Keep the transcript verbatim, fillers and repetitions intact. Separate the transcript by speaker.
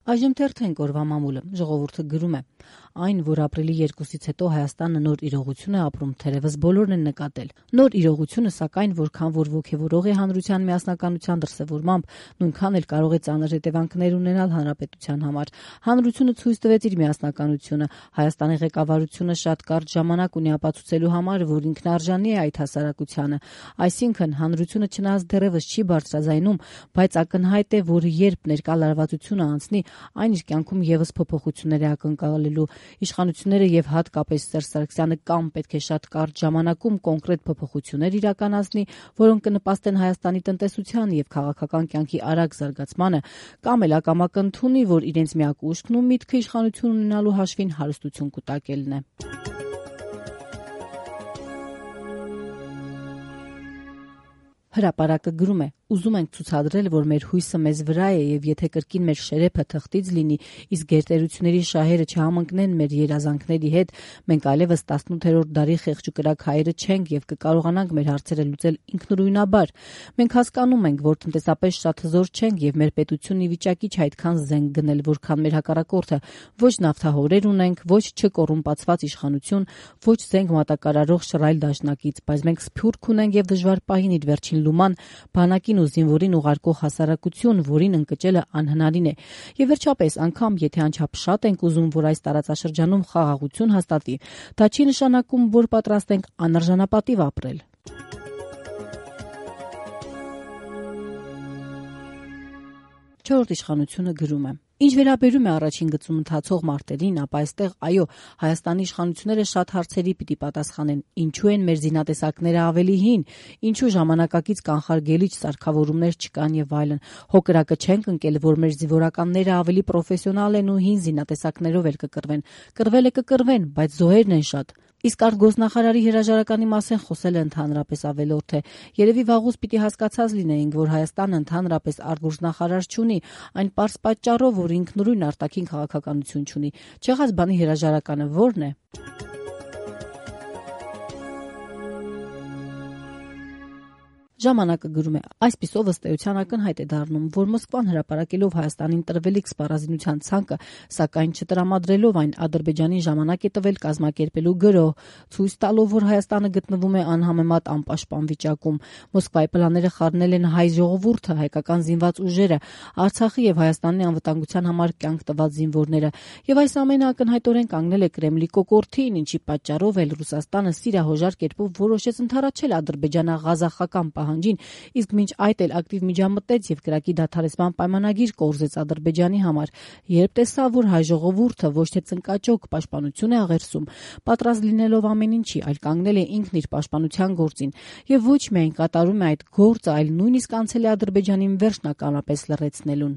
Speaker 1: Այժմ թերթենք օրվա մամուլը, ժողովուրդը գրում է. այն, որ ապրիլի երկուսից հետո Հայաստանը նոր իրողություն է ապրում, թերևս բոլորն են նկատել։ Նոր իրողությունը, սակայն, որքան որ ոգևորող է հանրության միասնականության դրսևորմամբ, նույնքան էլ կարող է ծանր հետևանքներ ունենալ հանրապետության համար։ Հանրությունը ցույց տվեց իր միասնականությունը, Հայաստանի ղեկավարությունը շատ կարճ ժամանակ ունի ապացուցելու համար, որ ինքնարժանի է այդ հասարակությանը։ Այսինքն, հանրությունը չնայած դեռևս չի բարձրաձայնում, բայց ակնհայտ է, որ երբ ներկա լարվածությունը անցնի, այն իր կյանքում եւս փոփոխություններ է ակնկալելու։ Իշխանությունները եւ հատկապես Սերժ Սարգսյանը կամ պետք է շատ կարճ ժամանակում կոնկրետ փոփոխություններ իրականացնի, որոնք կնպաստեն Հայաստանի տնտեսության եւ քաղաքական կյանքի արագ զարգացմանը, կամ էլ ակամա կընդունի, որ իրենց միակ ուժքն ու միտքը իշխանություն ունենալու հաշվին հարստություն կուտակելն է։ Հրապարակը գրում է. ուզում ենք ցուցադրել, որ մեր հույսը մեզ վրա է եւ եթե կրկին մեր շերեփը թղթից լինի, իսկ գերտերությունների շահերը չհամընկնեն մեր երազանքների հետ, մենք այլևս տասնութերորդ դարի խեղճուկրակ հայերը չենք եւ կկարողանանք մեր հարցերը լուծել ինքնուրույնաբար։ Մենք հասկանում ենք, որ տնտեսապես շատ հզոր չենք եւ մեր պետությունն ի վիճակի չէ այդքան զենք գնել, որքան մեր հակառակորդը։ Ոչ նավթահորեր ունենք, ոչ չկոռումպացված իշխանություն, ոչ զենք մատակարարող շռայլ դաշնակից, բայց մենք սփյուռք ունենք եւ դժվար պահին իր վերջին լուման բանակին ու զինվորին ուղարկող հասարակություն, որին ընկճելը անհնարին է։ Եվ վերջապես, անգամ եթե անչափ շատ ենք ուզում, որ այս տարածաշրջանում խաղաղություն հաստատի, դա չի նշանակում, որ պատրաստ ենք անարժանապատիվ ապրել։ Չորրորդ իշխանությունը գրում է. Ինչ վերաբերում է առաջին գծում ընթացող մարտերին, ապա այստեղ այո, Հայաստանի իշխանությունները շատ հարցերի պիտի պատասխանեն. ինչու են մեր զինատեսակները ավելի հին, ինչու ժամանակակից կանխարգելիչ սարքավորումներ չկան եւ այլն։ Հոկրակը չենք ընկել, որ մեր զինվորականները ավելի պրոֆեսիոնալ են ու հին զինատեսակներով էլ կկռվեն։ Կռվել է կկռվեն, բայց զոհերն են շատ։ Իսկ արտգործնախարարի հրաժարականի մասին խոսելը ընդհանրապես ավելորդ է։ Երևի վաղուց պիտի հասկացած լինեինք, որ Հայաստանը ընդհանրապես արտգործնախարար չունի, այն պարզ պատճառով, որ ինքնուրույն արտաքին քաղաքականություն չունի։ Չեղած բանի հրաժարականը ո՞րն է։ Ժամանակը գրում է. այսպիսով ըստ էության ակնհայտ է դառնում, որ Մոսկվան հրապարակելով Հայաստանին տրվելիք սպառազինության ցանկը, սակայն չտրամադրելով այն Ադրբեջանին ժամանակ է տվել կազմակերպելու գրոհ, ցույց տալով, որ Հայաստանը գտնվում է անհամեմատ անպաշտպան վիճակում։ Մոսկվայի պլանները խառնել են հայ ժողովուրդը, հայկական զինված ուժերը, Արցախի եւ Հայաստանի անվտանգության համար կյանք տված զինվորները։ Եվ այս ամենը ակնհայտորեն կանգնել է Կրեմլի կոկորդին, ինչի պատճառով էլ Ռուսաստանը սիրահոժար կերպով որոշեց ընդառաջել ադրբեջանա-ղազախական պահանջին, իսկ մինչ այդ էլ ակտիվ միջամտեց եւ կրակի դադարեցման պայմանագիր կորզեց Ադրբեջանի համար։ Երբ տեսավ, որ հայ ժողովուրդը ոչ թե ծնկաճոկ պաշտպանություն է աղերսում, պատրաստ լինելով ամեն ինչի, այլ կանգնել է ինքն իր պաշտպանության գործին եւ ոչ միայն կատարում է այդ գործը, այլ նույնիսկ անցել է Ադրբեջանին վերջնականապես լռեցնելուն։